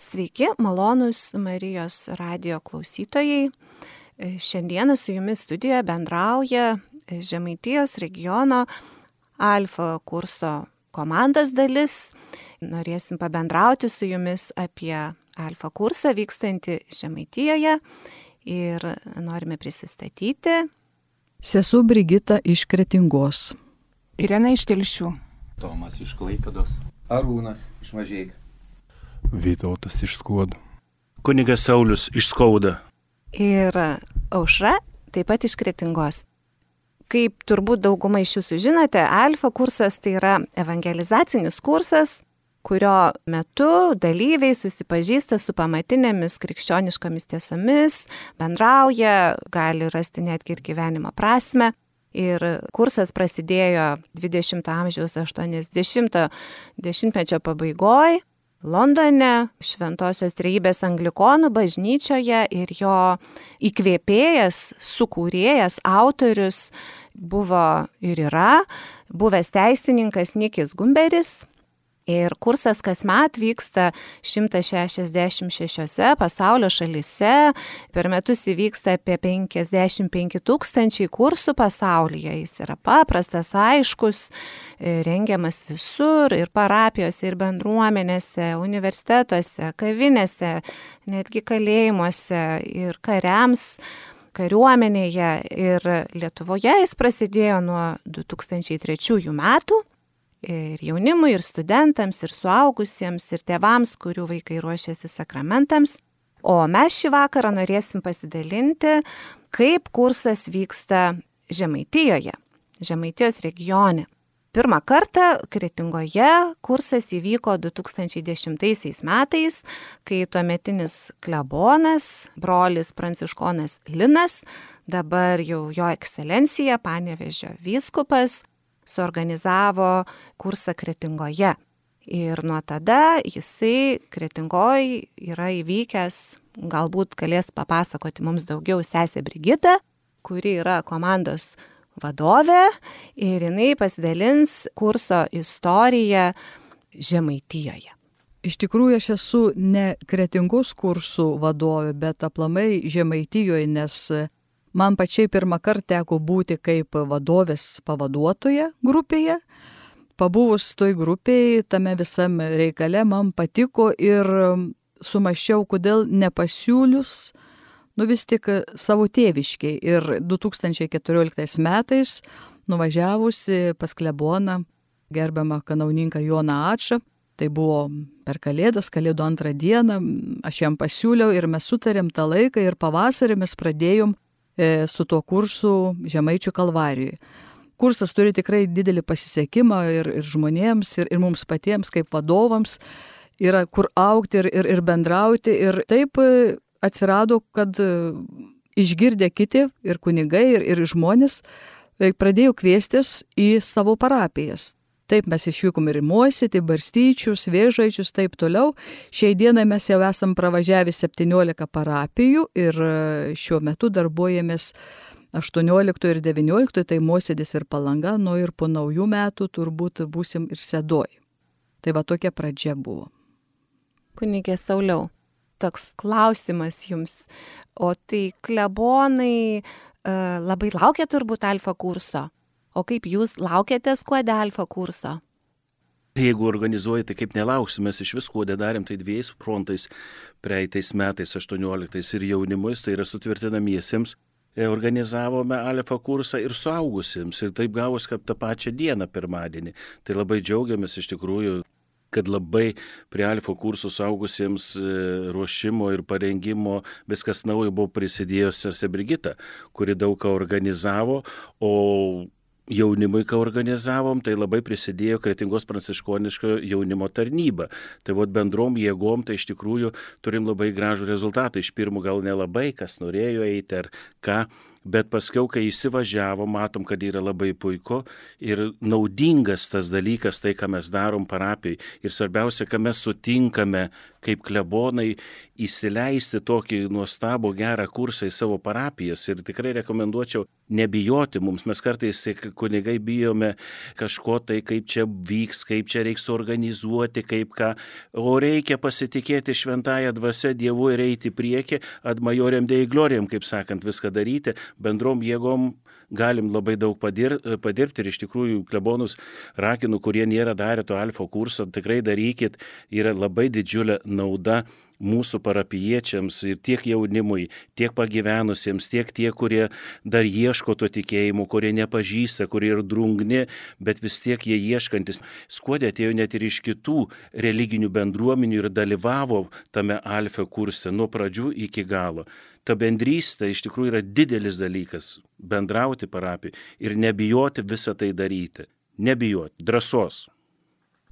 Sveiki, malonūs Marijos radijo klausytojai. Šiandieną su jumis studijoje bendrauja Žemaitijos regiono Alfa kurso komandos dalis. Norėsim pabendrauti su jumis apie Alfa kursą vykstantį Žemaitijoje ir norime prisistatyti. Sesuo Brigita iš Kretingos. Irena iš Telšių. Tomas iš Klaipėdos. Arūnas iš Mažeikių. Vytautas iš Skuodo. Kunigas Saulius iš Skaudo. Ir Aušra taip pat iš Kretingos. Kaip turbūt dauguma iš jūsų žinote, Alfa kursas tai yra evangelizacinis kursas, kurio metu dalyviai susipažįsta su pamatinėmis krikščioniškomis tiesomis, bendrauja, gali rasti netgi ir gyvenimo prasmę. Ir kursas prasidėjo 20 amžiaus 80-mečio pabaigoje Londone, Šventosios Trejybės Anglikonų bažnyčioje, ir jo įkvėpėjas, sukūrėjas, autorius buvo ir yra buvęs teisininkas Nikis Gumberis. Ir kursas kasmet vyksta 166 pasaulio šalyse, per metus įvyksta apie 55 000 kursų pasaulyje. Jis yra paprastas, aiškus, rengiamas visur, ir parapijose, ir bendruomenėse, universitetuose, kavinėse, netgi kalėjimuose, ir kariams, kariuomenėje. Ir Lietuvoje jis prasidėjo nuo 2003 metų. Ir jaunimui, ir studentams, ir suaugusiems, ir tėvams, kurių vaikai ruošiasi sakramentams. O mes šį vakarą norėsim pasidalinti, kaip kursas vyksta Žemaitijoje, Žemaitijos regione. Pirmą kartą Kretingoje kursas įvyko 2010 metais, kai tuometinis klebonas, brolis pranciškonas Linas, dabar jau jo ekscelencija, Panevėžio vyskupas, suorganizavo kursą Kretingoje. Ir nuo tada jisai Kretingoj yra įvykęs, galbūt galės papasakoti mums daugiau sesė Brigita, kuri yra komandos vadovė, ir jinai pasidalins kurso istoriją Žemaitijoje. Iš tikrųjų, aš esu ne Kretingos kursų vadovė, bet aplamai Žemaitijoje, nes man pačiai pirmą kartą teko būti kaip vadovės pavaduotoja grupėje. Pabuvus toj grupėje, tame visam reikale man patiko ir sumąsčiau, kodėl nepasiūlius, vis tik savo tėviškiai. Ir 2014 metais nuvažiavusi pas kleboną gerbiamą kanauninką Joną Ačą, tai buvo per Kalėdas, Kalėdų antrą dieną, aš jam pasiūliau ir mes sutarėm tą laiką ir pavasarį mes pradėjom su tuo kursu Žemaičių Kalvarijoje. Kursas turi tikrai didelį pasisekimą ir žmonėms, ir mums patiems kaip vadovams, yra kur augti ir bendrauti. Ir taip atsirado, kad išgirdę kiti ir kunigai, ir žmonės pradėjo kviestis į savo parapijas. Taip mes išvykom ir į Mosėtį, Barstyčius, Vėžaičius, taip toliau. Šiai dienai mes jau esam pravažiavę 17 parapijų ir šiuo metu darbuojamės 18 ir 19, tai Mosėdis ir Palanga, ir po naujų metų turbūt būsim ir Sedoj. Tai va tokia pradžia buvo. Kunigė Sauliau, toks klausimas jums. O tai klebonai labai laukia turbūt Alfa kurso. O kaip jūs laukiatės Skuode Alfa kurso? Jeigu organizuoji, tai kaip nelauksim, mes iš vis Skuode darėm tai 2 frontais, praeitais metais 18 ir jaunimui, tai yra sutvirtinamiesiems. Organizavome Alfa kursą ir suaugusiems, ir taip gavus, kad tą pačią dieną pirmadienį. Tai labai džiaugiamės iš tikrųjų, kad labai prie Alfa kursų suaugusiems ruošimo ir parengimo viskas naujo buvo prisidėjus sesė Brigita, kuri daug ką organizavo, o jaunimui, ką organizavom, tai labai prisidėjo Kretingos pranciškoniško jaunimo tarnyba. Tai bendrom jėgom, tai iš tikrųjų turim labai gražų rezultatą. Iš pirmų gal nelabai, kas norėjo eiti ar ką, Bet paskiau, kai įsivažiavo, matom, kad yra labai puiku ir naudingas tas dalykas, tai, ką mes darom parapijai. Ir svarbiausia, ką mes sutinkame kaip klebonai įsileisti tokį nuostabų gerą kursą į savo parapijas. Ir tikrai rekomenduočiau nebijoti mums. Mes kartais kunigai bijome kažko tai, kaip čia vyks, kaip čia reiks organizuoti, kaip ką. O reikia pasitikėti šventąją dvasią Dievu ir eiti į priekį, ad majorem dei gloriam, kaip sakant, viską daryti. Bendrom jėgom galim labai daug padirbti ir iš tikrųjų klebonus rakinu, kurie nėra darę to alfa kursą, tikrai darykit, yra labai didžiulė nauda mūsų parapijiečiams ir tiek jaunimui, tiek pagyvenusiems, tiek tie, kurie dar ieško to tikėjimo, kurie nepažįsta, kurie ir drungni, bet vis tiek jie ieškantis. Skuode atėjo net ir iš kitų religinių bendruomenių ir dalyvavo tame alfa kurse nuo pradžių iki galo. Ta bendrystė iš tikrųjų yra didelis dalykas - bendrauti parapijai ir nebijoti visą tai daryti. Nebijoti, drąsos.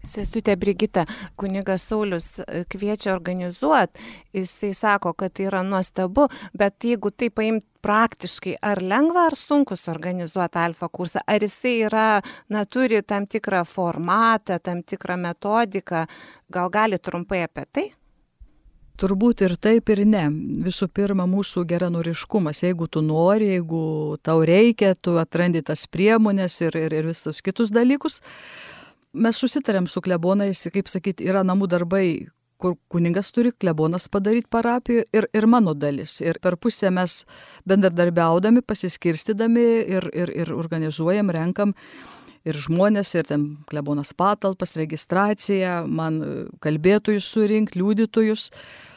Sesutė Brigita, kunigas Saulius kviečia organizuoti, jisai sako, kad tai yra nuostabu, bet jeigu tai paimt praktiškai, ar lengva ar sunku suorganizuoti alfa kursą, ar jisai yra, turi tam tikrą formatą, tam tikrą metodiką, gal gali trumpai apie tai? Turbūt ir taip, ir ne. Visų pirma, mūsų geranoriškumas. Jeigu tu nori, jeigu tau reikia, tu atrandi tas priemonės ir visus kitus dalykus. Mes susitarėm su klebonais, kaip sakyti, yra namų darbai, kur kuningas turi klebonas padaryti parapijoje ir mano dalis. Ir per pusę mes bendradarbiaudami, pasiskirstydami ir organizuojam, renkam ir žmonės, ir ten klebonas patalpas, registraciją, man kalbėtojus surinkti, liudytojus.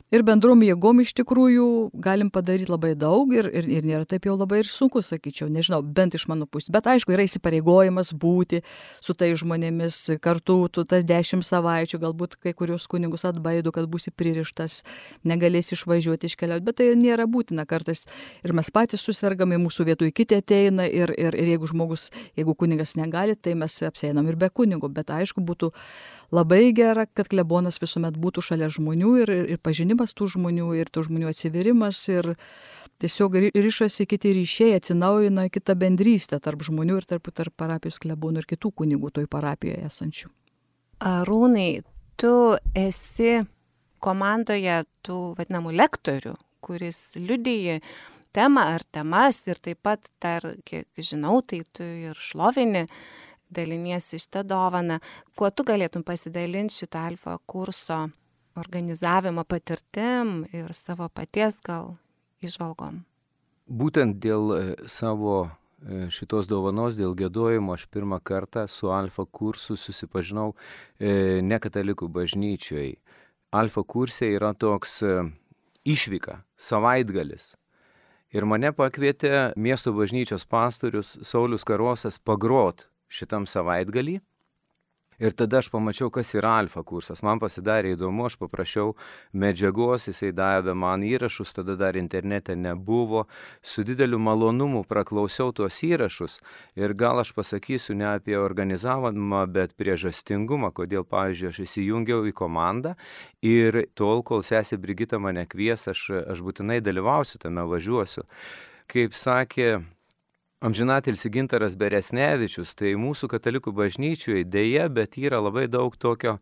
Ir bendrom jėgom iš tikrųjų galim padaryti labai daug ir nėra taip jau labai ir sunku, sakyčiau, nežinau, bent iš mano pusės. Bet aišku, yra įsipareigojimas būti su tai žmonėmis kartu, tu tas 10 savaičių, galbūt kai kurios kunigus atbaido, kad būsi pririštas, negalėsi išvažiuoti, iškeliauti, bet tai nėra būtina kartais. Ir mes patys susirgame, mūsų vietoj kiti ateina ir jeigu kunigas negali, tai mes apsieinam ir be kunigo. Bet aišku, būtų labai gera, kad klebonas visuomet būtų šalia žmonių ir pažinimas tų žmonių, ir tų žmonių atsivirimas, ir tiesiog ryšasi kiti ryšiai, atsinaujina kita bendrystė tarp žmonių ir tarp parapijos klebonų ir kitų kunigų toj parapijoje esančių. Arūnai, tu esi komandoje tų vadinamų lektorių, kuris liudiji temą ar temas ir taip pat, kiek žinau, tai tu ir šlovini, daliniesi šitą dovaną. Kuo tu galėtum pasidalinti šitą alfa kurso organizavimo patirtim ir savo paties gal įžvalgom? Būtent dėl savo šitos dovanos, dėl giedojimo aš pirmą kartą su alfa kursu susipažinau ne katalikų bažnyčioje. Alfa kurse yra toks išvyka, savaitgalis. Ir mane pakvietė miesto bažnyčios pastorius Saulius Karosas pagrot šitam savaitgalį. Ir tada aš pamačiau, kas yra alfa kursas. Man pasidarė įdomu, aš paprašiau medžiagos, jisai davė man įrašus, tada dar internete nebuvo. Su dideliu malonumu praklausiau tuos įrašus ir gal aš pasakysiu ne apie organizavimą, bet priežastingumą, kodėl, pavyzdžiui, aš įsijungiau į komandą ir tol, kol sesė Brigita mane kvies, aš būtinai dalyvausiu tame, važiuosiu. Kaip sakė amžinatilsį Gintaras Beresnevičius, tai mūsų katalikų bažnyčioje dėja, bet yra labai daug tokio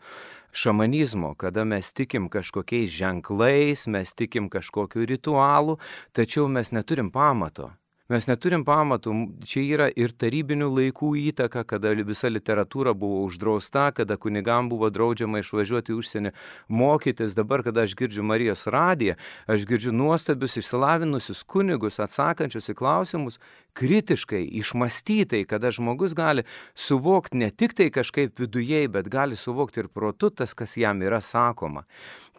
šamanizmo, kada mes tikim kažkokiais ženklais, mes tikim kažkokiu ritualu, tačiau mes neturim pamato. Mes neturim pamatų, čia yra ir tarybinių laikų įtaka, kada visa literatūra buvo uždrausta, kada kunigam buvo draudžiama išvažiuoti į užsienį mokytis. Dabar, kada aš girdžiu Marijos radiją, aš girdžiu nuostabius išsilavinusius kunigus atsakančius į klausimus kritiškai, išmąstytai, kada žmogus gali suvokti ne tik tai kažkaip vidujei, bet gali suvokti ir protu tas, kas jam yra sakoma.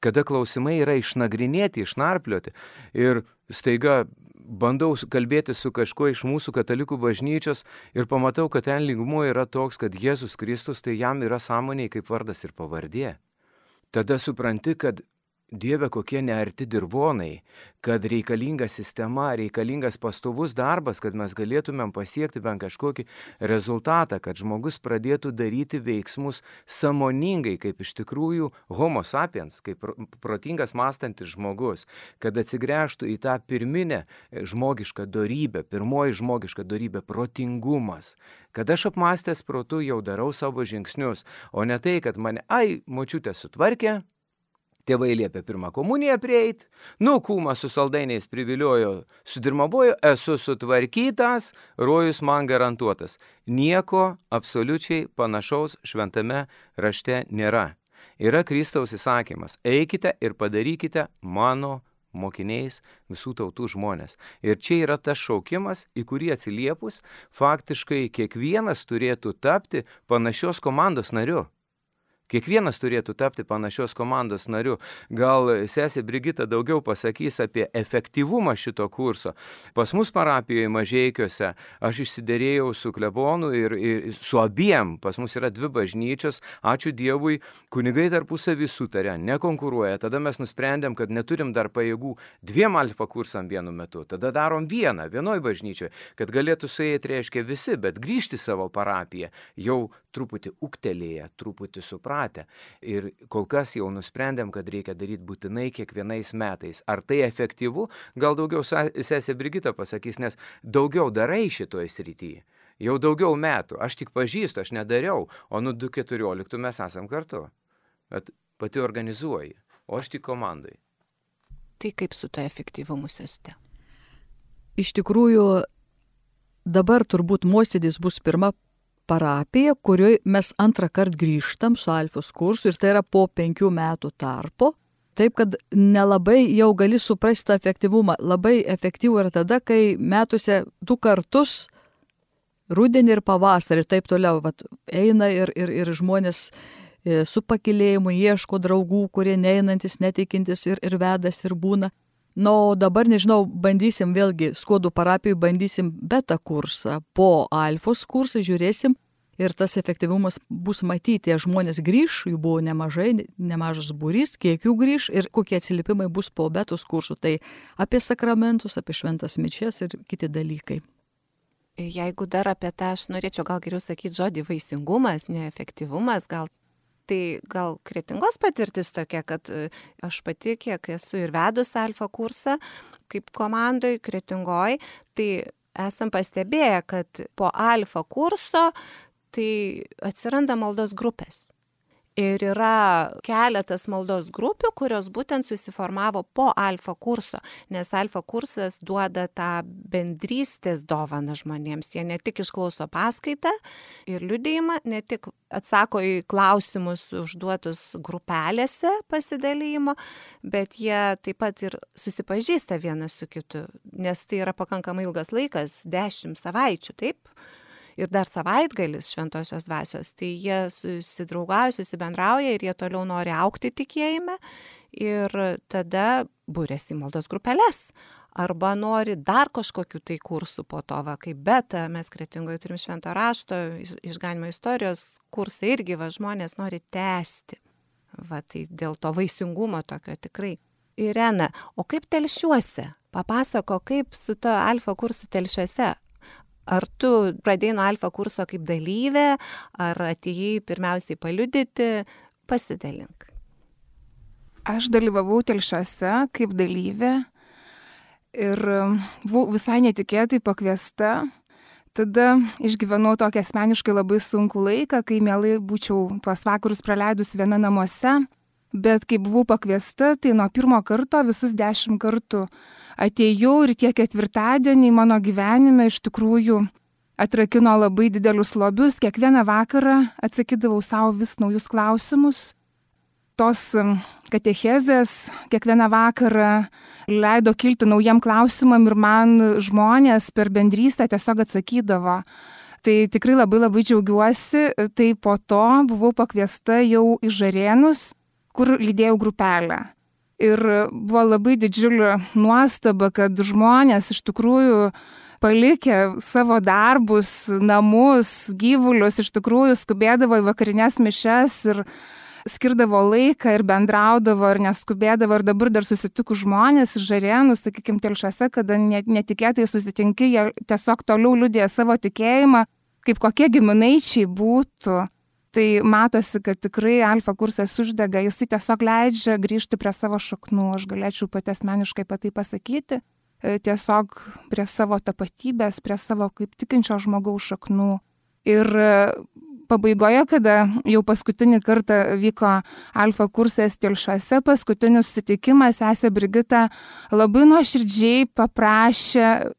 Kada klausimai yra išnagrinėti, išnarplioti ir staiga bandau kalbėti su kažkuo iš mūsų katalikų bažnyčios ir pamatau, kad ten lygmuo yra toks, kad Jėzus Kristus tai jam yra sąmonėje kaip vardas ir pavardė. Tada supranti, kad Dieve, kokie nearti dirvonai, kad reikalinga sistema, reikalingas pastovus darbas, kad mes galėtumėm pasiekti bent kažkokį rezultatą, kad žmogus pradėtų daryti veiksmus sąmoningai, kaip iš tikrųjų homo sapiens, kaip protingas mąstantis žmogus, kad atsigręžtų į tą pirminę žmogišką dorybę, pirmoji žmogiška dorybė - protingumas. Kad aš apmąstęs protu jau darau savo žingsnius, o ne tai, kad mane, močiutė sutvarkė, tėvai liepė pirmą komuniją prieit, kūmą su saldainiais priviliojo, sudirmabojo, esu sutvarkytas, rojus man garantuotas. Nieko absoliučiai panašaus šventame rašte nėra. Yra Kristaus įsakymas, eikite ir padarykite mano mokiniais visų tautų žmonės. Ir čia yra tas šaukimas, į kurį atsiliepus, faktiškai kiekvienas turėtų tapti panašios komandos nariu. Kiekvienas turėtų tapti panašios komandos nariu. Gal sesė Brigita daugiau pasakys apie efektyvumą šito kurso. Pas mus parapijoje Mažeikiuose aš išsiderėjau su klebonu ir su abiem. Pas mus yra 2 bažnyčios. Ačiū Dievui, kunigai tarpusavį sutarė, nekonkuruoja. Tada mes nusprendėm, kad neturim dar pajėgų 2 alfa kursam vienu metu. Tada darom vienoj bažnyčioje, kad galėtų suėti, reiškia, visi, bet grįžti savo parapiją jau truputį uktelėję, truputį supratę. Ir kol kas jau nusprendėm, kad reikia daryti būtinai kiekvienais metais. Ar tai efektyvu? Gal daugiau sesė Brigita pasakys, nes daugiau darai šitoje srityje. Jau daugiau metų. Aš tik pažįstu, aš nedariau, o 2014 mes esam kartu. Bet pati organizuoji, o aš tik komandai. Tai kaip su to efektyvumu, sesute? Iš tikrųjų, dabar turbūt Mosėdis bus pirma parapija, kurioje mes antrą kartą grįžtam su alfos kursu ir tai yra po 5 metų tarpo. Taip, kad nelabai jau gali suprasti tą efektyvumą. Labai efektyvų yra tada, kai metuose 2 kartus, rudenį ir pavasarį, ir taip toliau, eina ir žmonės su pakilėjimu ieško draugų, kurie neinantis, netikintis ir vedas ir būna. O dabar, nežinau, bandysim vėlgi, Skuodų parapijai bandysim beta kursą, po alfos kursą žiūrėsim ir tas efektyvumas bus matyti, žmonės grįž, jų buvo nemažas būrys, kiek jų grįž ir kokie atsiliepimai bus po betos kursų, tai apie sakramentus, apie šventas mišias ir kiti dalykai. Jeigu dar apie tą, aš norėčiau gal geriau sakyti žodį vaisingumas, ne efektyvumas, tai gal Kretingos patirtis tokia, kad aš pati, kiek esu ir vedus alfa kursą, kaip komandoj Kretingoj, tai esam pastebėję, kad po alfa kurso tai atsiranda maldos grupės. Ir yra keletas maldos grupių, kurios būtent susiformavo po alfa kurso, nes alfa kursas duoda tą bendrystės dovaną žmonėms. Jie ne tik išklauso paskaitą ir liudijimą, ne tik atsako į klausimus užduotus grupelėse pasidalymo, bet jie taip pat ir susipažįsta vienas su kitu, nes tai yra pakankamai ilgas laikas, 10 savaičių, taip? Ir dar savaitgalis šventosios dvasios, tai jie susidraugauja, susibendrauja ir jie toliau nori augti tikėjime ir tada būrėsi į maldos grupeles. Arba nori dar kažkokių tai kursų po to, kaip beta, mes Kretingoje turim švento rašto, išganimo istorijos kursai irgi, žmonės nori tęsti. Tai dėl to vaisingumo tokio tikrai. Irena, o kaip Telšiuose? Papasako, kaip su to alfa kursu Telšiuose? Ar tu pradėjai nuo alfa kurso kaip dalyvė, ar atėjai pirmiausiai paliudyti, pasidalink. Aš dalyvavau Telšiuose kaip dalyvė ir buvau visai netikėtai pakviesta. Tada išgyvenau tokį asmeniškai labai sunkų laiką, kai mielai būčiau tuos vakarus praleidus viena namuose. Bet kai buvau pakviesta, tai nuo 1 karto visus 10 kartų atėjau ir tie 4 mano gyvenime iš tikrųjų atrakino labai didelius lobius. Kiekvieną vakarą atsakydavau savo vis naujus klausimus. Tos katechezės kiekvieną vakarą leido kilti naujam klausimam ir man žmonės per bendrystę tiesiog atsakydavo. Tai tikrai labai džiaugiuosi. Tai po to buvau pakviesta jau į Žarėnus, kur lydėjau grupelę. Ir buvo labai didžiulė nuostaba, kad žmonės iš tikrųjų palikę savo darbus, namus, gyvulius, iš tikrųjų skubėdavo į vakarinės mišias ir skirdavo laiką ir bendraudavo ir neskubėdavo ir dabar dar susitikus žmonės iš Žarėnų, sakykime, Telšiuose, kada netikėtai susitinki, jie tiesiog toliau liudija savo tikėjimą, kaip kokie giminaičiai būtų. Tai matosi, kad tikrai Alfa kursas uždega, jisai tiesiog leidžia grįžti prie savo šaknų, aš galėčiau pati asmeniškai apie tai pasakyti, tiesiog prie savo tapatybės, prie savo kaip tikinčio žmogaus šaknų. Ir pabaigoje, kada jau paskutinį kartą vyko Alfa kursas Telšiuose, paskutinis susitikimas, sesė Brigita labai nuoširdžiai paprašė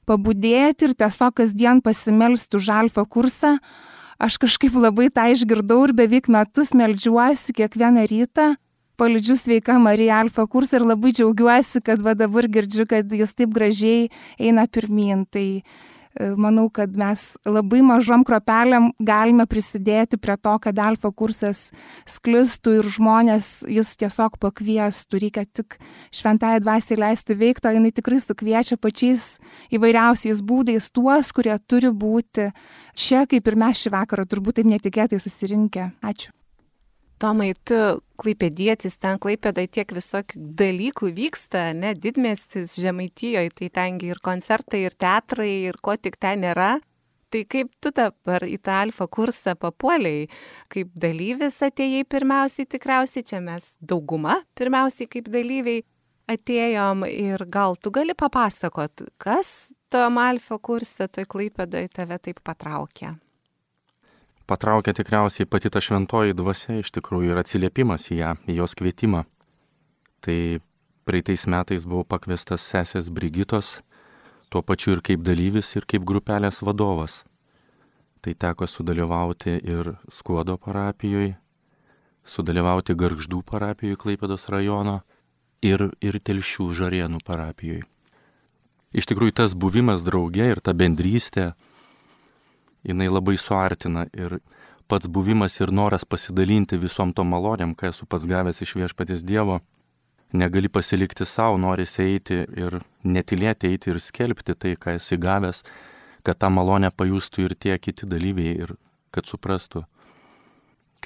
pabudėti ir tiesiog kasdien pasimelsti už Alfa kursą. Aš kažkaip labai tą išgirdau ir beveik metus meldžiuosi kiekvieną rytą, palydžiu Sveika Marija Alfa kursą ir labai džiaugiuosi, kad va dabar girdžiu, kad jis taip gražiai eina pirmyn. Tai manau, kad mes labai mažom kropelėm galime prisidėti prie to, kad Alfa kursas sklistų ir žmonės jis tiesiog pakviestų. Reikia tik šventąją dvasią leisti veikti, o jinai tikrai sukviečia pačiais įvairiausiais būdais tuos, kurie turi būti čia, kaip ir mes šį vakarą, turbūt taip netikėtai susirinkę. Ačiū. Tomai, tu klaipėdietis, ten Klaipėdoje tiek visokių dalykų vyksta, ne, didmiestis Žemaitijoje, tai tengi ir koncertai, ir teatrai, ir ko tik ten nėra. Tai kaip tu dabar į tą Alfa kursą papuolei, kaip dalyvis atėjai pirmiausiai, tikriausiai čia mes dauguma pirmiausiai kaip dalyviai atėjom ir gal tu gali papasakot, kas tom Alfa kursą toj Klaipėdoje tave taip patraukė? Patraukė tikriausiai pati ta šventoji dvasia iš tikrųjų ir atsiliepimas į ją, į jos kvietimą. Tai praeitais metais buvau pakviestas sesės Brigitos, tuo pačiu ir kaip dalyvis, ir kaip grupelės vadovas. Tai teko sudalyvauti ir Skuodo parapijoje, sudalyvauti Gargždų parapijoje Klaipėdos rajono ir Telšių Žarėnų parapijoje. Iš tikrųjų tas buvimas drauge ir ta bendrystė, jinai labai suartina ir pats buvimas ir noras pasidalinti visom tom malonėm, ką esu pats gavęs iš Viešpaties Dievo, negali pasilikti savo, norisi eiti ir netylėti, eiti ir skelbti tai, ką esi gavęs, kad tą malonę pajustų ir tie kiti dalyviai ir kad suprastų,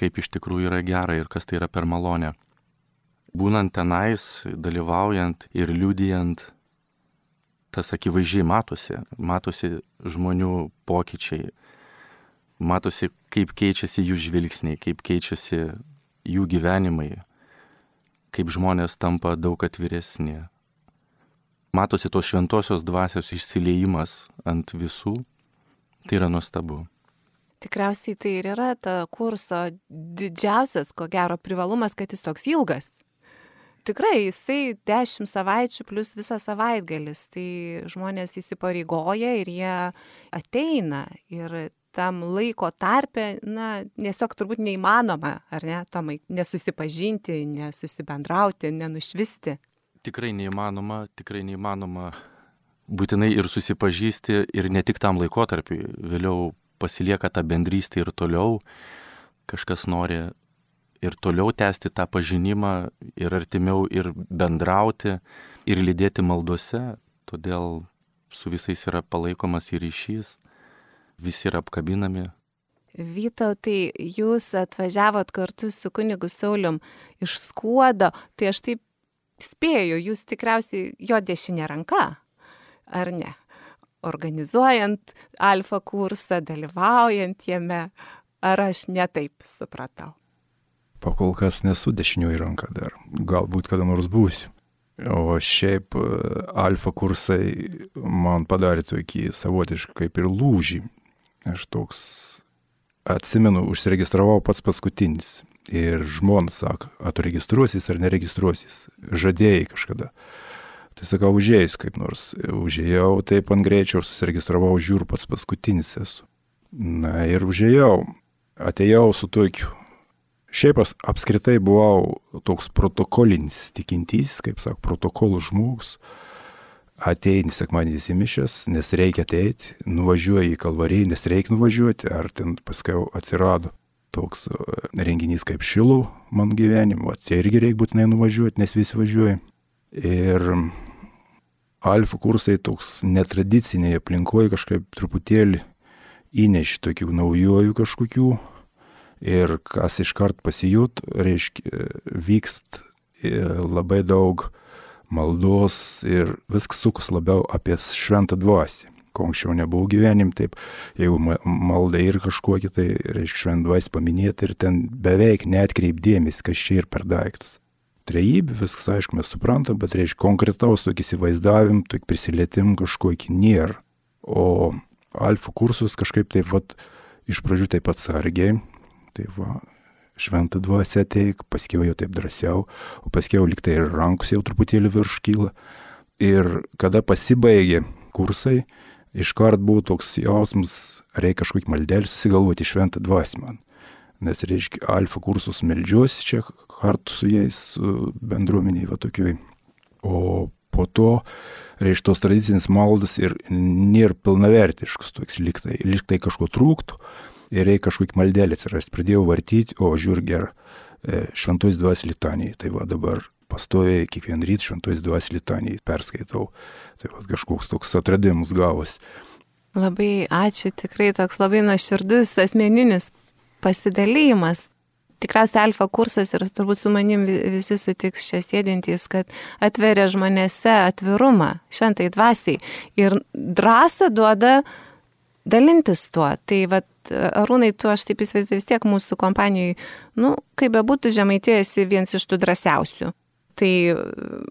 kaip iš tikrųjų yra gera ir kas tai yra per malonę. Būnant tenais, dalyvaujant ir liudijant, tas akivaizdžiai matosi žmonių pokyčiai, matosi, kaip keičiasi jų žvilgsniai, kaip keičiasi jų gyvenimai, kaip žmonės tampa daug atviresni. Matosi tos šventosios dvasios išsiliejimas ant visų, tai yra nuostabu. Tikriausiai tai ir yra ta kurso didžiausias, ko gero, privalumas, kad jis toks ilgas. Tikrai, jisai 10 savaičių plus visas savaitgalis, tai žmonės įsipareigoja ir jie ateina ir tam laiko tarpe, tiesiog turbūt neįmanoma, ar ne, Tomai, nesusipažinti, nesusibendrauti, nenušvisti. Tikrai neįmanoma, būtinai ir susipažįsti ir ne tik tam laikotarpiui, vėliau pasilieka ta bendrystė ir toliau, kažkas nori ir toliau tęsti tą pažinimą ir artimiau ir bendrauti ir lydėti maldose, todėl su visais yra palaikomas ir ryšys, visi yra apkabinami. Vytautai, jūs atvažiavot kartu su kunigu Saulium iš Skuodo, tai aš taip spėju, jūs tikriausiai jo dešinė ranka, ar ne? Organizuojant Alfa kursą, dalyvaujant jame, ar aš netaip supratau? Pakol kas nesu dešinioji ranka dar, galbūt kada nors būsiu. O šiaip Alfa kursai man padarė tokį savotišką kaip ir lūžį. Aš toks atsimenu, užsiregistravau pats paskutinis. Ir žmona sako, ar tu registruosis ar neregistruosis. Žadėjai kažkada. Tai sakau, užėjus kaip nors. Užėjau taip ant greičio, susiregistravau, žiūriu, pats paskutinis esu. Na ir užėjau. Atėjau su tokiu. Šiaip apskritai buvau toks protokolinis tikintysis, kaip sako, protokolų žmogus. Ateini sekmadienis į mišias, nes reikia ateiti, nuvažiuoji į Kalvariją, nes reikia nuvažiuoti, ar ten paskui atsirado toks renginys kaip Šilų man gyvenimo, čia irgi reikia būtinai nuvažiuoti, nes visi važiuoja. Ir Alfa kursai toks netradiciniai aplinkoje kažkaip truputėlį įneši tokių naujojų kažkokių Ir kas iškart pasijūt, reiškia, vykst labai daug maldos ir viskas sukas labiau apie šventą dvasį. Ko anksčiau nebuvo gyvenim, taip, jeigu malda ir kažkokia, tai reiškia šventą dvasį paminėti ir ten beveik neatkreip dėmesį, kas čia ir per daiktas. Trejybė, viskas aišku mes suprantam, bet reiškia konkretaus tokį įsivaizdavim, tokį prisilietim kažkokį nėra. O alfa kursus kažkaip taip vat, iš pradžių taip atsargiai, taip va, šventą dvasę ateik, paskiau jau taip drąsiau, o paskiau liktai ir rankus jau truputėlį virš kyla. Ir kada pasibaigė kursai, iškart buvo toks jausmas, reikia kažkokį maldelį susigalvoti šventą dvasę man. Nes reiškia, alfa kursus meldžiuosi čia kartu su jais, su bendruomeniai va tokioj. O po to, reiškia, tos tradicinis maldas ir nėra pilnavertiškas toks liktai kažko trūktų. Ir reikia kažkokį maldelį atsirasti. Pradėjau vartyti, o žiūr gerą šventos dvasios litanijai. Tai va dabar pastoviai kiekvieną rytą šventos dvasios litanijai perskaitau. Tai va kažkoks toks atradimas gavosi. Labai ačiū, tikrai toks labai nuoširdus asmeninis pasidalymas. Tikriausiai alfa kursas ir turbūt su manim visi sutiks čia sėdintys, kad atveria žmonėse atvirumą šventai dvasiai ir drąsą duoda dalintis tuo. Tai vat, Arūnai, tu aš taip įsivaizduoju vis tiek mūsų kompanijai, kaip bebūtų Žemaitijoje esi vienas iš tų drąsiausių. Tai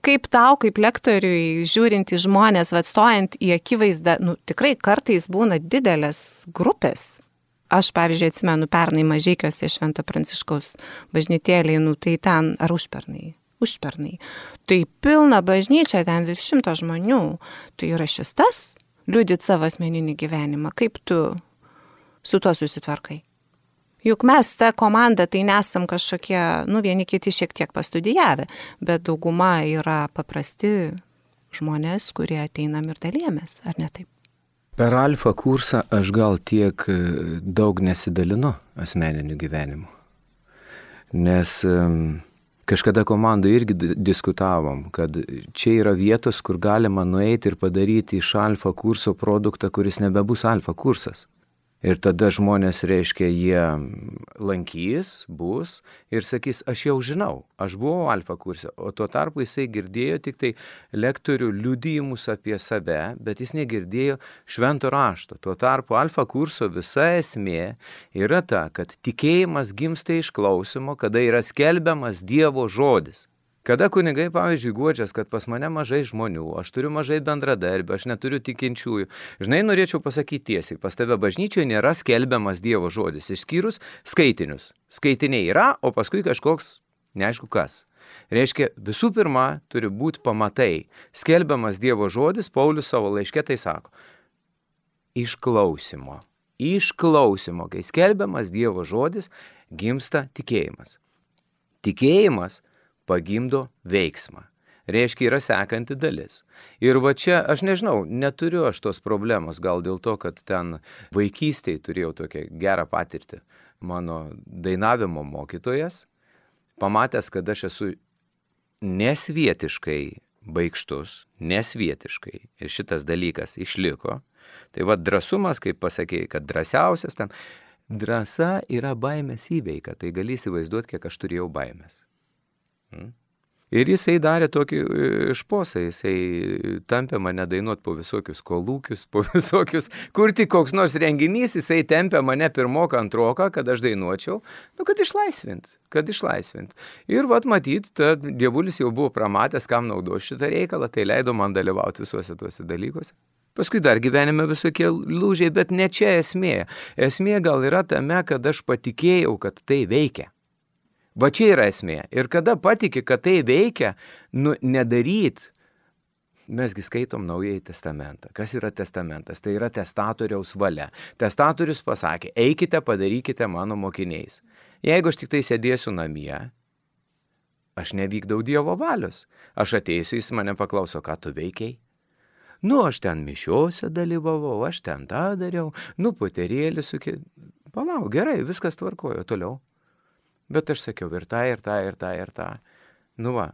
kaip tau, kaip lektoriui, žiūrint į žmonės, stojant į akivaizdą, tikrai kartais būna didelės grupės. Aš, pavyzdžiui, atsimenu pernai Mažeikiuose Švento Pranciškaus bažnytėlėj, tai ten, ar užpernai. Tai pilna bažnyčia, ten virš 100 žmonių. Tai yra šis tas, liudyt savo asmeninį gyvenimą. Kaip tu su tuo susitvarkai? Juk mes ta komanda tai nesam kažkokie, vieni kiti šiek tiek pastudijavę, bet dauguma yra paprasti žmonės, kurie ateinam ir dalyjamės, ar ne taip? Per alfa kursą aš gal tiek daug nesidalinu asmeniniu gyvenimu. Nes kažkada komandai irgi diskutavom, kad čia yra vietos, kur galima nueiti ir padaryti iš alfa kurso produktą, kuris nebebus alfa kursas. Ir tada žmonės, reiškia, jie lankys, bus ir sakys, aš jau žinau, aš buvau alfa kurse, o tuo tarpu jisai girdėjo tik tai lektorių liudijimus apie save, bet jis negirdėjo švento rašto. Tuo tarpu alfa kurso visa esmė yra ta, kad tikėjimas gimsta iš klausimo, kada yra skelbiamas Dievo žodis. Kada kunigai, pavyzdžiui, guodžias, kad pas mane mažai žmonių, aš turiu mažai bendradarbių, aš neturiu tikinčiųjų. Žinai, norėčiau pasakyti tiesiai, pas tave bažnyčioje nėra skelbiamas Dievo žodis, išskyrus skaitinius. Skaitiniai yra, o paskui kažkoks neaišku kas. Reiškia, visų pirma, turi būti pamatai. Skelbiamas Dievo žodis, Paulius savo laiške tai sako. Išklausimo, kai skelbiamas Dievo žodis, gimsta tikėjimas. Tikėjimas pagimdo veiksmą. Reiškia, yra sekanti dalis. Ir va čia, aš nežinau, neturiu aš tos problemos, gal dėl to, kad ten vaikystėje turėjau tokią gerą patirtį. Mano dainavimo mokytojas, pamatęs, kad aš esu nesvietiškai baikštus, nesvietiškai, ir šitas dalykas išliko. Tai va drąsumas, kaip pasakėjai, kad drąsiausias ten, drąsa yra baimės įveika, tai gali įsivaizduoti, kiek aš turėjau baimės. Ir jisai darė tokį šposą, jisai tampė mane dainuoti po visokius kolūkius, po visokius, kur tik koks nors renginys, jisai tempė mane pirmoką, antroką, kad aš dainuočiau, kad išlaisvint. Ir vat matyt, dievulis jau buvo pramatęs, kam naudo šitą reikalą, tai leido man dalyvauti visuose tuose dalykuose. Paskui dar gyvenime visokie lūžiai, bet ne čia esmė. Esmė gal yra tame, kad aš patikėjau, kad tai veikia. Va čia yra esmė. Ir kada patiki, kad tai veikia, nedaryt. Mesgi skaitom Naująjį testamentą. Kas yra testamentas? Tai yra testatoriaus valia. Testatorius pasakė, eikite, padarykite mano mokiniais. Jeigu aš tik tai sėdėsiu namie, aš nevykdau Dievo valios. Aš ateisiu, jis mane paklauso, ką tu veikiai? Aš ten mišiuose dalyvavau, aš ten tą dariau, poterėlį sukė. Palauk, gerai, viskas tvarkojo, toliau. Bet aš sakiau ir tą. Va.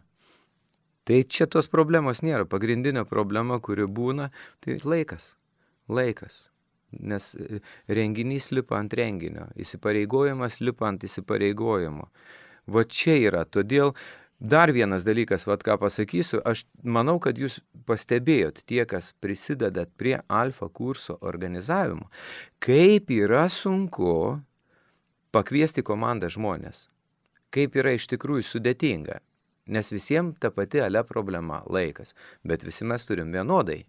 Tai čia tos problemos nėra. Pagrindinė problema, kuri būna, tai laikas. nes renginys lipa ant renginio, įsipareigojimas lipa ant įsipareigojimo. Va čia yra, todėl dar vienas dalykas, vat ką pasakysiu, aš manau, kad jūs pastebėjot tie, kas prisidedat prie Alfa kurso organizavimo, kaip yra sunku pakviesti komandą žmonės, kaip yra iš tikrųjų sudėtinga, nes visiems ta pati problema laikas, bet visi mes turim vienodai.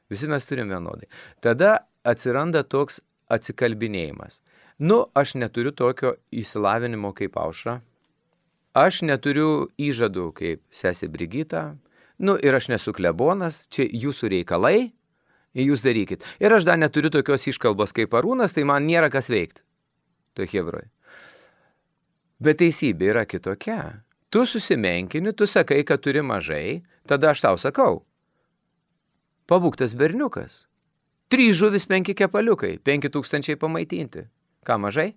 Visi mes turim vienodai. Tada atsiranda toks atsikalbinėjimas. Aš neturiu tokio įsilavinimo kaip Aušra. Aš neturiu įžadų kaip sesė Brigita. Ir aš nesu klebonas, čia jūsų reikalai, jūs darykit. Ir aš dar neturiu tokios iškalbos kaip Arūnas, tai man nėra kas veikti. To hebroj. Bet teisybė yra kitokia. Tu susimenkini, tu sakai, kad turi mažai, tada aš tau sakau. Pabūktas berniukas. 3 žuvis, 5 kepaliukai, 5000 pamaitinti. Ką mažai?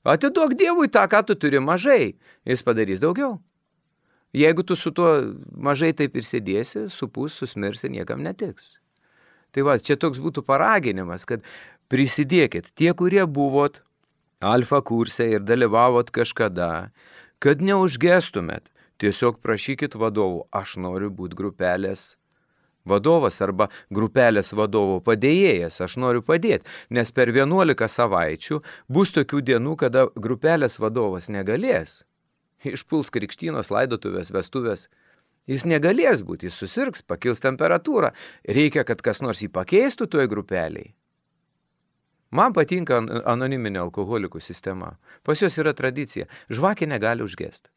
Atiduok Dievui tą, ką tu turi mažai, jis padarys daugiau. Jeigu tu su tuo mažai taip ir sėdėsi, supus, susmirsi, niekam netiks. Tai va, čia toks būtų paraginimas, kad prisidėkit tie, kurie buvot Alfa kurse ir dalyvavot kažkada, kad neužgestumėt, tiesiog prašykit vadovų, aš noriu būti grupelės vadovas arba grupelės vadovo padėjėjas, aš noriu padėti, nes per 11 savaičių bus tokių dienų, kada grupelės vadovas negalės. Išpuls krikštynos, laidotuvės, vestuvės. Jis negalės būti, jis susirgs, pakils temperatūra. Reikia, kad kas nors jį pakeistų toj grupeliai. Man patinka anoniminė alkoholikų sistema. Pas jos yra tradicija. Žvakė negali užgesti.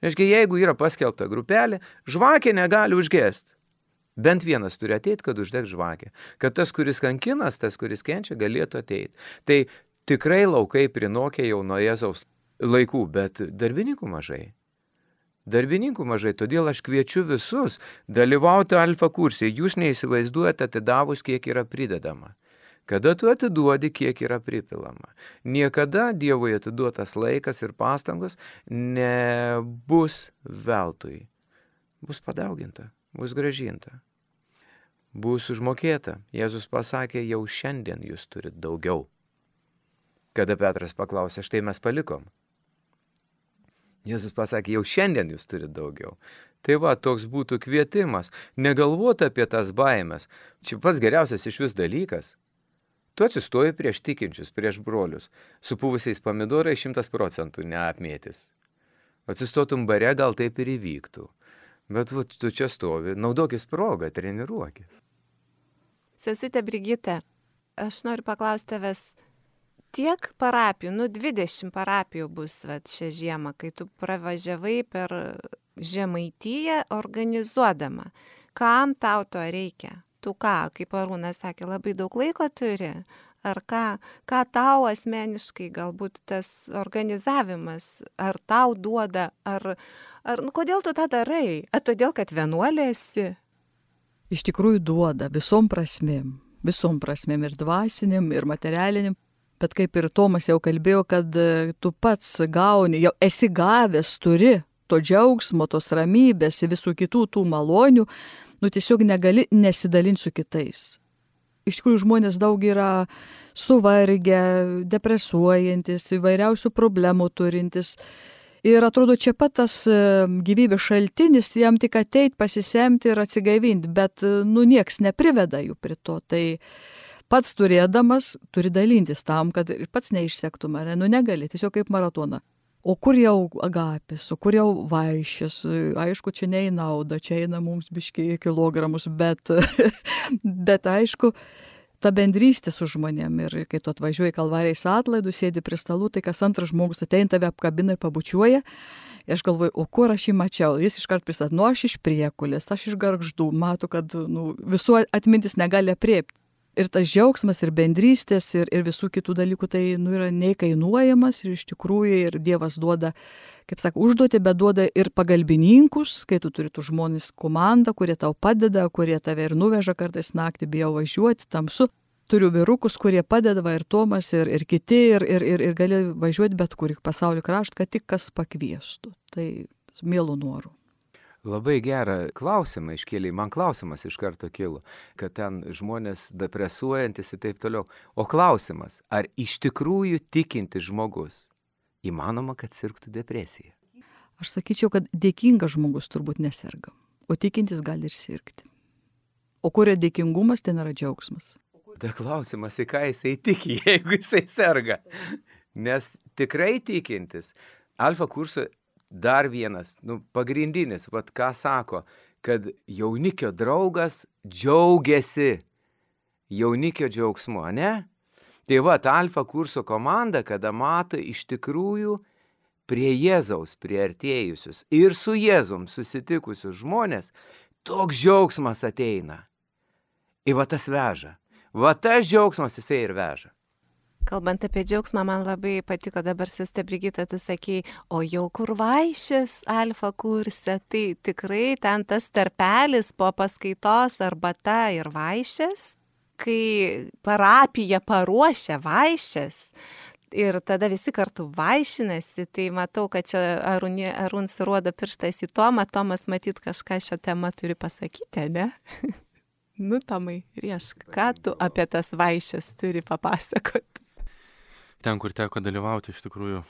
Reiškia, jeigu yra paskelbta grupelė, žvakė negali užgesti. Bent vienas turi ateiti, kad uždeg žvakę. Kad tas, kuris kankinas, tas, kuris kenčia, galėtų ateiti. Tai tikrai laukai prinokė jau nuo Jėzaus laikų, bet darbininkų mažai. Darbininkų mažai, todėl aš kviečiu visus dalyvauti Alfa kurse. Jūs neįsivaizduojate atidavus, kiek yra pridedama. Kada tu atiduodi, kiek yra pripilama. Niekada Dievui atiduotas laikas ir pastangos nebus veltui. Bus padauginta. Bus grąžinta, bus užmokėta. Jėzus pasakė, jau šiandien jūs turit daugiau. Kada Petras paklausė, štai mes palikom. Jėzus pasakė, jau šiandien jūs turit daugiau. Tai va, toks būtų kvietimas. Negalvoti apie tas baimės. Čia pats geriausias iš vis dalykas. Tu atsistoji prieš tikinčius, prieš brolius. Su puvusiais pomidorai 100% neapmėtis. Atsistotum bare, gal taip ir įvyktų. Bet tu čia stovi, naudokis progą, treniruokis. Sesutė Brigita, aš noriu paklausti tavęs, tiek parapijų, 20 parapijų bus šią žiemą, kai tu pravažiavai per Žemaitiją organizuodama. Kam tau to reikia? Tu ką, kaip Arūnas sakė, labai daug laiko turi? Ar ką tau asmeniškai galbūt tas organizavimas, ar tau duoda, kodėl tu tą darai? Ar todėl, kad vienuolė esi? Iš tikrųjų duoda visom prasmėm ir dvasiniam, ir materialiniam, bet kaip ir Tomas jau kalbėjo, kad tu pats gauni, jau esi gavęs, turi to džiaugsmo, tos ramybės, visų kitų tų malonių, tiesiog negali nesidalinti su kitais. Iš tikrųjų žmonės daug yra suvargę, depresuojantis, įvairiausių problemų turintis. Ir atrodo, čia pat tas gyvybės šaltinis, jam tik ateit, pasisemti ir atsigaivinti, bet nieks nepriveda jų prie to. Tai pats turėdamas turi dalintis tam, kad ir pats neišsektum, negali, tiesiog kaip maratoną. O kur jau agapės, o kur jau vaišės, aišku, čia ne į naudą, čia eina mums biškiai kilogramus, bet aišku, ta bendrystė su žmonėm ir kai tu atvažiuoji Kalvarijos atlaidų, sėdi prie stalų, tai kas antras žmogus ateina tave apkabina ir pabučiuoja. Ir aš galvoju, o kur aš jį mačiau? Jis iškart pristatė, aš iš Priekulės, aš iš Gargždų, matau, kad visų atmintis negali apriepti. Ir tas džiaugsmas, ir bendrystės, ir visų kitų dalykų, tai yra neįkainuojamas ir iš tikrųjų ir Dievas duoda, kaip sako, užduoti, bet duoda ir pagalbininkus, kai tu turi tų žmonės komandą, kurie tau padeda, kurie tave ir nuveža kartais naktį, bijau važiuoti, tamsu. Turiu vyrukus, kurie padeda, ir Tomas, ir kiti, ir gali važiuoti bet kur į pasaulio kraštą, kad tik kas pakviestų. Tai mielų norų. Labai gerą klausimą iškėlė, man klausimas iš karto kilo, kad ten žmonės depresuojantis ir taip toliau. O klausimas, ar iš tikrųjų tikintis žmogus įmanoma, kad sirgtų depresija? Aš sakyčiau, kad dėkingas žmogus turbūt neserga, o tikintis gali ir sirgti. O kur yra dėkingumas, ten yra džiaugsmas. Ta klausimas, į ką jisai tiki, jeigu jisai serga. Nes tikrai tikintis, Alfa kurso dar vienas, pagrindinis, ką sako, kad jaunikio draugas džiaugiasi jaunikio džiaugsmu, ne? Tai Alfa kurso komanda, kada mato iš tikrųjų prie Jėzaus priartėjusius ir su Jėzum susitikusius žmonės, toks džiaugsmas ateina. Ir tas veža. Tas džiaugsmas jisai ir veža. Kalbant apie džiaugsmą, man labai patiko dabar, Sestė Brigita, tu sakei, o jau kur vaišės Alfa kurse, tai tikrai ten tas tarpelis po paskaitos arbata ir vaišės, kai parapija paruošia vaišės ir tada visi kartu vaišinasi, tai matau, kad čia Arūns rodo pirštais į Tomą, Tomas matyt kažką šią temą turi pasakyti, ne? Tomai, riešk, ką tu apie tas vaišės turi papasakoti? Ten, kur teko dalyvauti, iš tikrųjų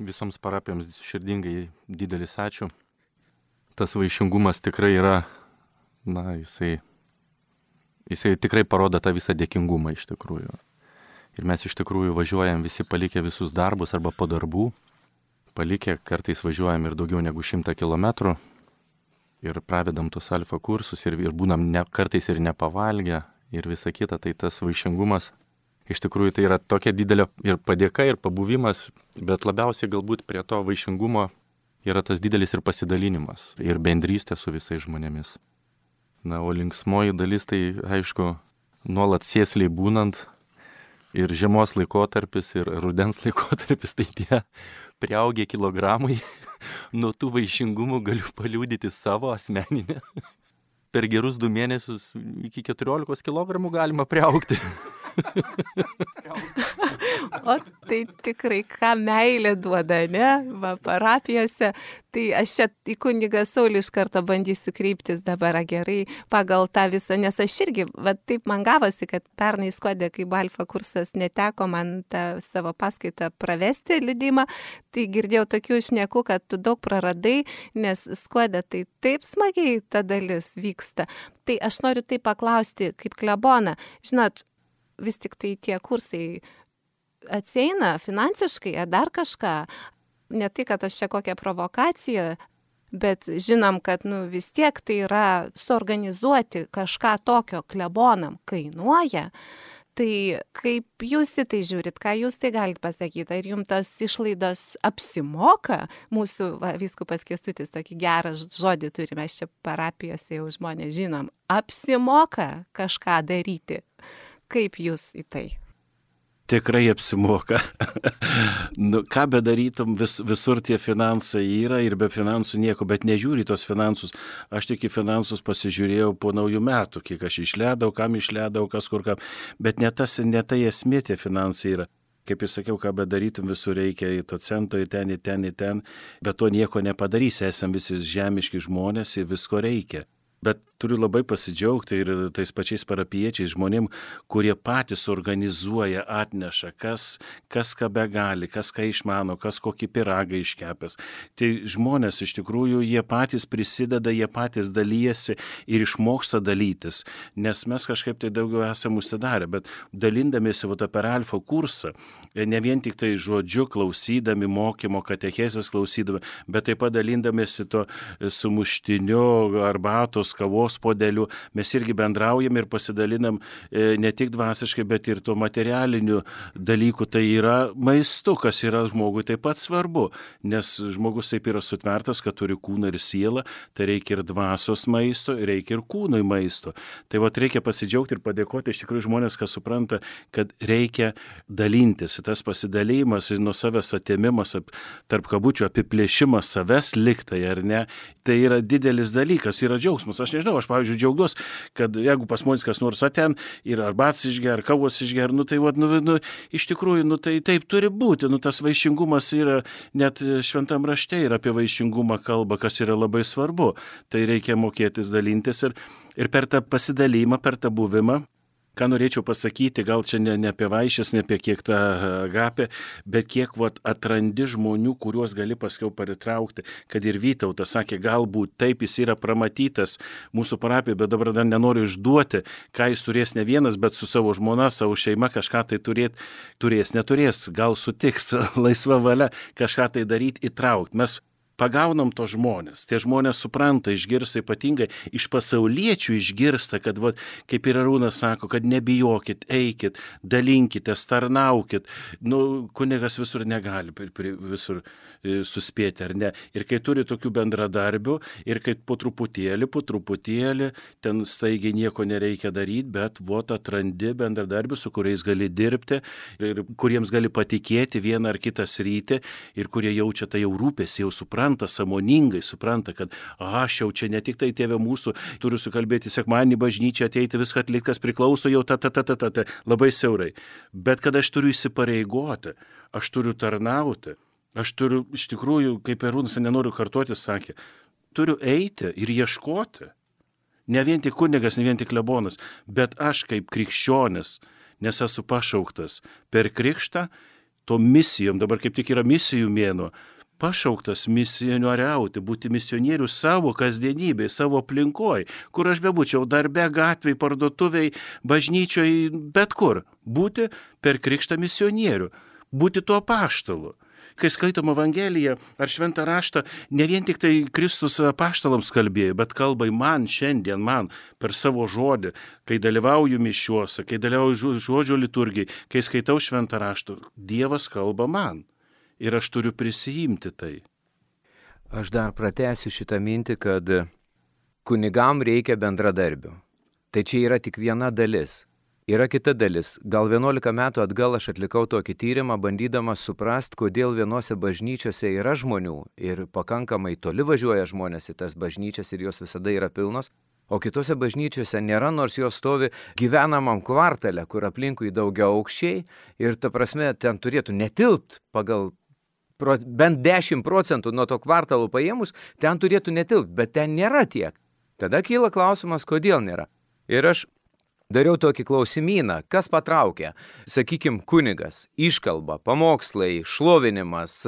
visoms parapijoms širdingai didelis ačiū. Tas vaišingumas tikrai yra, jisai tikrai parodo tą visą dėkingumą iš tikrųjų. Ir mes iš tikrųjų važiuojam visi palikę visus darbus arba po darbų. Palikę, kartais važiuojam ir daugiau negu 100 kilometrų. Ir pravedam tus Alfa kursus ir būnam kartais ir nepavalgę ir visa kita. Tai tas vaišingumas iš tikrųjų tai yra tokia didelė ir padėka, ir pabuvimas, bet labiausiai galbūt prie to vaišingumo yra tas didelis ir pasidalinimas, ir bendrystė su visais žmonėmis. O linksmoji dalis tai, aišku, nuolat sėsliai būnant, ir žiemos laikotarpis, ir rudens laikotarpis, tai tie priaugę kilogramai, nuo tų vaišingumų galiu paliudyti savo asmeninę. Per gerus 2 mėnesius iki 14 kilogramų galima priaugti. O tai tikrai, ką meilė duoda, ne? Parapijose. Tai aš čia į kunigą Saulių iš karto bandysiu kreiptis dabar gerai pagal tą visą, nes aš irgi, taip man gavosi, kad pernai Skuode, kai Alfa kursas neteko man tą savo paskaitą pravesti liudimą, tai girdėjau tokių šnekų, kad tu daug praradai, nes Skuode tai taip smagiai ta dalis vyksta. Tai aš noriu tai paklausti kaip klebona. Žinot, vis tik tai tie kursai atsieina finansiškai, dar kažką. Ne tai, kad aš čia kokią provokaciją, bet žinom, kad vis tiek tai yra suorganizuoti kažką tokio klebonam kainuoja. Tai kaip jūs į tai žiūrit, ką jūs tai galite pasakyti? Ar jums tas išlaidos apsimoka? Mūsų vyskupas Kęstutis tokį gerą žodį turi, mes čia parapijose jau žmonės žinom. Apsimoka kažką daryti? Kaip jūs į tai? Tikrai apsimoka. Ką bedarytum, visur tie finansai yra ir be finansų nieko, bet nežiūri tos finansus. Aš tik į finansus pasižiūrėjau po naujų metų, kiek aš išleidau, kam išleidau, kas kur kam. Bet ne tai esmė tie finansai yra. Kaip ir sakiau, ką bedarytum, visur reikia į to cento, į ten, bet to nieko nepadarysi, esam visi žemiški žmonės ir visko reikia. Bet turiu labai pasidžiaugti ir tais pačiais parapiečiais žmonėm, kurie patys organizuoja, atneša, kas ką begali, kas ką išmano, kas kokį pyragą iškepęs. Tai žmonės iš tikrųjų, jie patys prisideda, jie patys dalyjasi ir išmoksta dalytis, nes mes kažkaip tai daugiau esame užsidarę, bet dalindamiesi per Alfa kursą, ne vien tik tai žodžiu klausydami, mokymo, katechezės klausydami, bet taip pat dalindamiesi to sumuštiniu, arbatos, kavos podeliu, mes irgi bendraujam ir pasidalinam ne tik dvasiškai, bet ir to materialinių dalykų. Tai yra maistu, kas yra žmogui taip pat svarbu, nes žmogus taip yra sutvertas, kad turi kūną ir sielą, tai reikia ir dvasios maisto, reikia ir kūnui maisto. Tai reikia pasidžiaugti ir padėkoti iš tikrųjų žmonės, kas supranta, kad reikia dalintis. Tas pasidalymas, nuo savęs atėmimas, tarp kabučių apiplėšimas savęs liktai, ar ne, tai yra didelis dalykas, yra džiaugsmas. Aš nežinau, aš, pavyzdžiui, džiaugiuosi, kad jeigu pas mus kas nors ten ir arbats išger, kavos išger, tai iš tikrųjų, tai taip turi būti, tas vaišingumas yra, net šventam rašte yra apie vaišingumą kalba, kas yra labai svarbu, tai reikia mokėtis dalintis ir per tą pasidalymą, per tą buvimą. Ką norėčiau pasakyti, gal čia ne apie vaišes, ne apie kiek tą agapę, bet kiek atrandi žmonių, kuriuos gali paskiau pritraukti, kad ir Vytautas sakė, galbūt taip jis yra pramatytas mūsų parapijoje, bet dabar dar nenoriu išduoti, ką jis turės ne vienas, bet su savo žmona, savo šeima kažką tai neturės, gal sutiks laisva valia kažką tai daryti, įtraukti. Mes pagaunam to žmonės, tie žmonės supranta, išgirsta ypatingai, iš pasauliečių išgirsta, kad, kaip ir Arūnas sako, kad nebijokit, eikit, dalinkitės, tarnaukit. Kunigas visur negali visur suspėti, ar ne. Ir kai turi tokių bendradarbių, ir kai po truputėlį, ten staigiai nieko nereikia daryti, bet atrandi bendradarbių, su kuriais gali dirbti, ir kuriems gali patikėti vieną ar kitą sritį, ir kurie jaučia tai jau rūpesį, jau sąmoningai supranta, kad aš jau čia ne tik tai tėve mūsų, turiu sukalbėti sekmadienį bažnyčią, ateiti viską atlikti, kas priklauso jau labai siaurai. Bet kad aš turiu įsipareigoti, aš turiu tarnauti, aš turiu iš tikrųjų, kaip Arūnas, nenoriu kartuoti, sakė, turiu eiti ir ieškoti. Ne vien tik kunigas, ne vien tik klebonas, bet aš kaip krikščionis, nes esu pašauktas per krikštą, to misijom, dabar kaip tik yra misijų mėnuo, pašauktas misionieriauti, būti misionierių savo kasdienybėje, savo aplinkoje, kur aš bebūčiau, darbe, gatvėje, parduotuvėje, bažnyčioje, bet kur. Būti per krikštą misionierių, būti tuo apaštalu. Kai skaitom Evangeliją ar šventą raštą, ne vien tik tai Kristus apaštalams kalbėjo, bet kalba man šiandien, man per savo žodį, kai dalyvauju mišiuose, kai dalyvauju žodžio liturgijai, kai skaitau šventą raštą, Dievas kalba man. Ir aš turiu prisijimti tai. Aš dar pratęsiu šitą mintį, kad kunigam reikia bendradarbių. Tai čia yra tik viena dalis. Yra kita dalis. Gal 11 metų atgal aš atlikau tokį tyrimą, bandydamas suprasti, kodėl vienose bažnyčiose yra žmonių ir pakankamai toli važiuoja žmonės į tas bažnyčias ir jos visada yra pilnos, o kitose bažnyčiose nėra, nors jos stovi gyvenamam kvartale, kur aplinkui daugiaaukščiai ir ta prasme ten turėtų netilpt pagal bent 10% nuo to kvartalo paėmus, ten turėtų netilpt, bet ten nėra tiek. Tada kyla klausimas, kodėl nėra. Ir aš dariau tokį klausimyną, kas patraukia, sakykim, kunigas, iškalba, pamokslai, šlovinimas,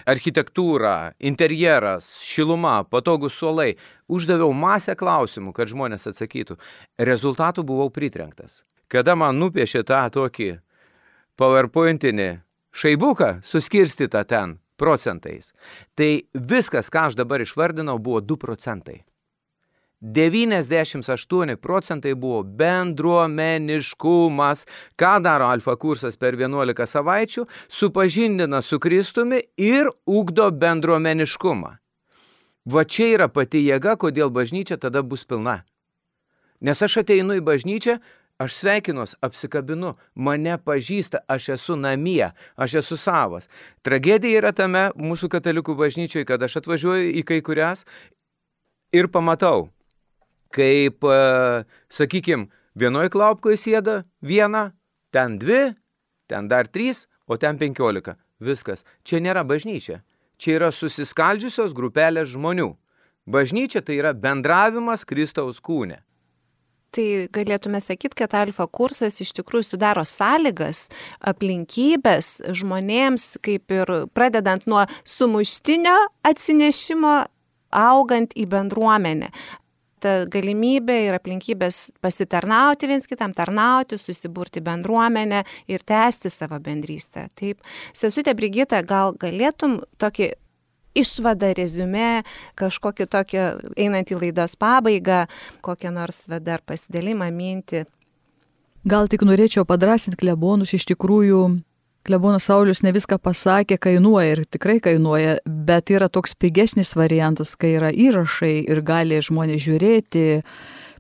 architektūra, interjeras, šiluma, patogus suolai. Uždaviau masę klausimų, kad žmonės atsakytų. Rezultatų buvau pritrenktas. Kada man nupiešė tą tokį PowerPointinį šaibuką suskirstytą ten procentais, tai viskas, ką aš dabar išvardinau, buvo 2%. 98% buvo bendruomeniškumas. Ką daro Alfa kursas per 11 savaičių? Supažindina su Kristumi ir ugdo bendruomeniškumą. Va čia yra pati jėga, kodėl bažnyčia tada bus pilna. Nes aš ateinu į bažnyčią, aš sveikinuos, apsikabinu, mane pažįsta, aš esu namie, aš esu savas. Tragedija yra tame mūsų katalikų bažnyčioje, kad aš atvažiuoju į kai kurias ir pamatau, kaip, sakykim, vienoj klaupkoje sėda viena, ten 2, ten dar 3, o ten 15. Viskas. Čia nėra bažnyčia. Čia yra susiskaldžiusios grupelės žmonių. Bažnyčia tai yra bendravimas Kristaus kūne. Tai galėtume sakyti, kad Alfa kursas iš tikrųjų sudaro sąlygas, aplinkybės žmonėms, kaip ir pradedant nuo sumuštinio atsinešimo, augant į bendruomenę. Ta galimybė ir aplinkybės pasitarnauti viens kitam, tarnauti, susiburti bendruomenę ir tęsti savo bendrystę. Taip, sesutė Brigita, gal galėtum tokį išvadą, reziumė, kažkokį tokį, einant į laidos pabaigą, kokią nors dar pasidalimą mintį? Gal tik norėčiau padrasinti klebonus, iš tikrųjų klebonas Saulius ne viską pasakė, kainuoja ir tikrai kainuoja, bet yra toks pigesnis variantas, kai yra įrašai ir gali žmonės žiūrėti,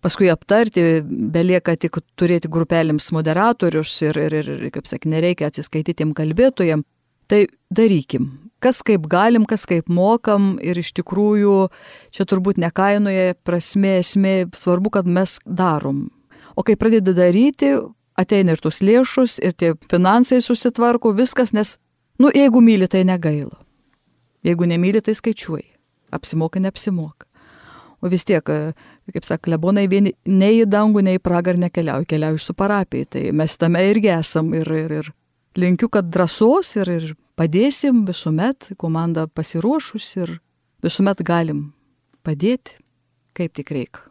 paskui aptarti, belieka tik turėti grupelėms moderatorius ir kaip sakė, nereikia atsiskaitytiem kalbėtojam. Tai darykim. kas kaip galim, kas kaip mokam ir iš tikrųjų čia turbūt nekainoje prasme, esmė, svarbu, kad mes darom. O kai pradedi daryti, ateina ir tos lėšos, ir tie finansai susitvarko, viskas, nes, jeigu myli, tai negaila. Jeigu nemyli, tai skaičiuoji. Apsimoka, neapsimoka. O vis tiek, kaip sako, klebonai vieni nei į dangų, nei į pragarą keliauju su parapijai. Tai mes tame irgi esam ir linkiu, kad drąsos ir padėsim visuomet, komanda pasiruošus ir visuomet galim padėti, kaip tik reikia.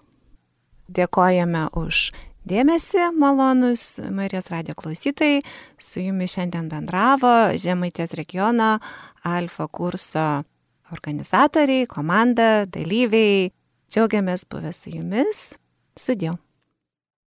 Dėkojame už dėmesį, malonus Marijos radijo klausytojai. Su jumis šiandien bendravo Žemaitijos regiono Alfa kurso organizatoriai, komanda, dalyviai. Džiaugiamės buvę su jumis. Sudie.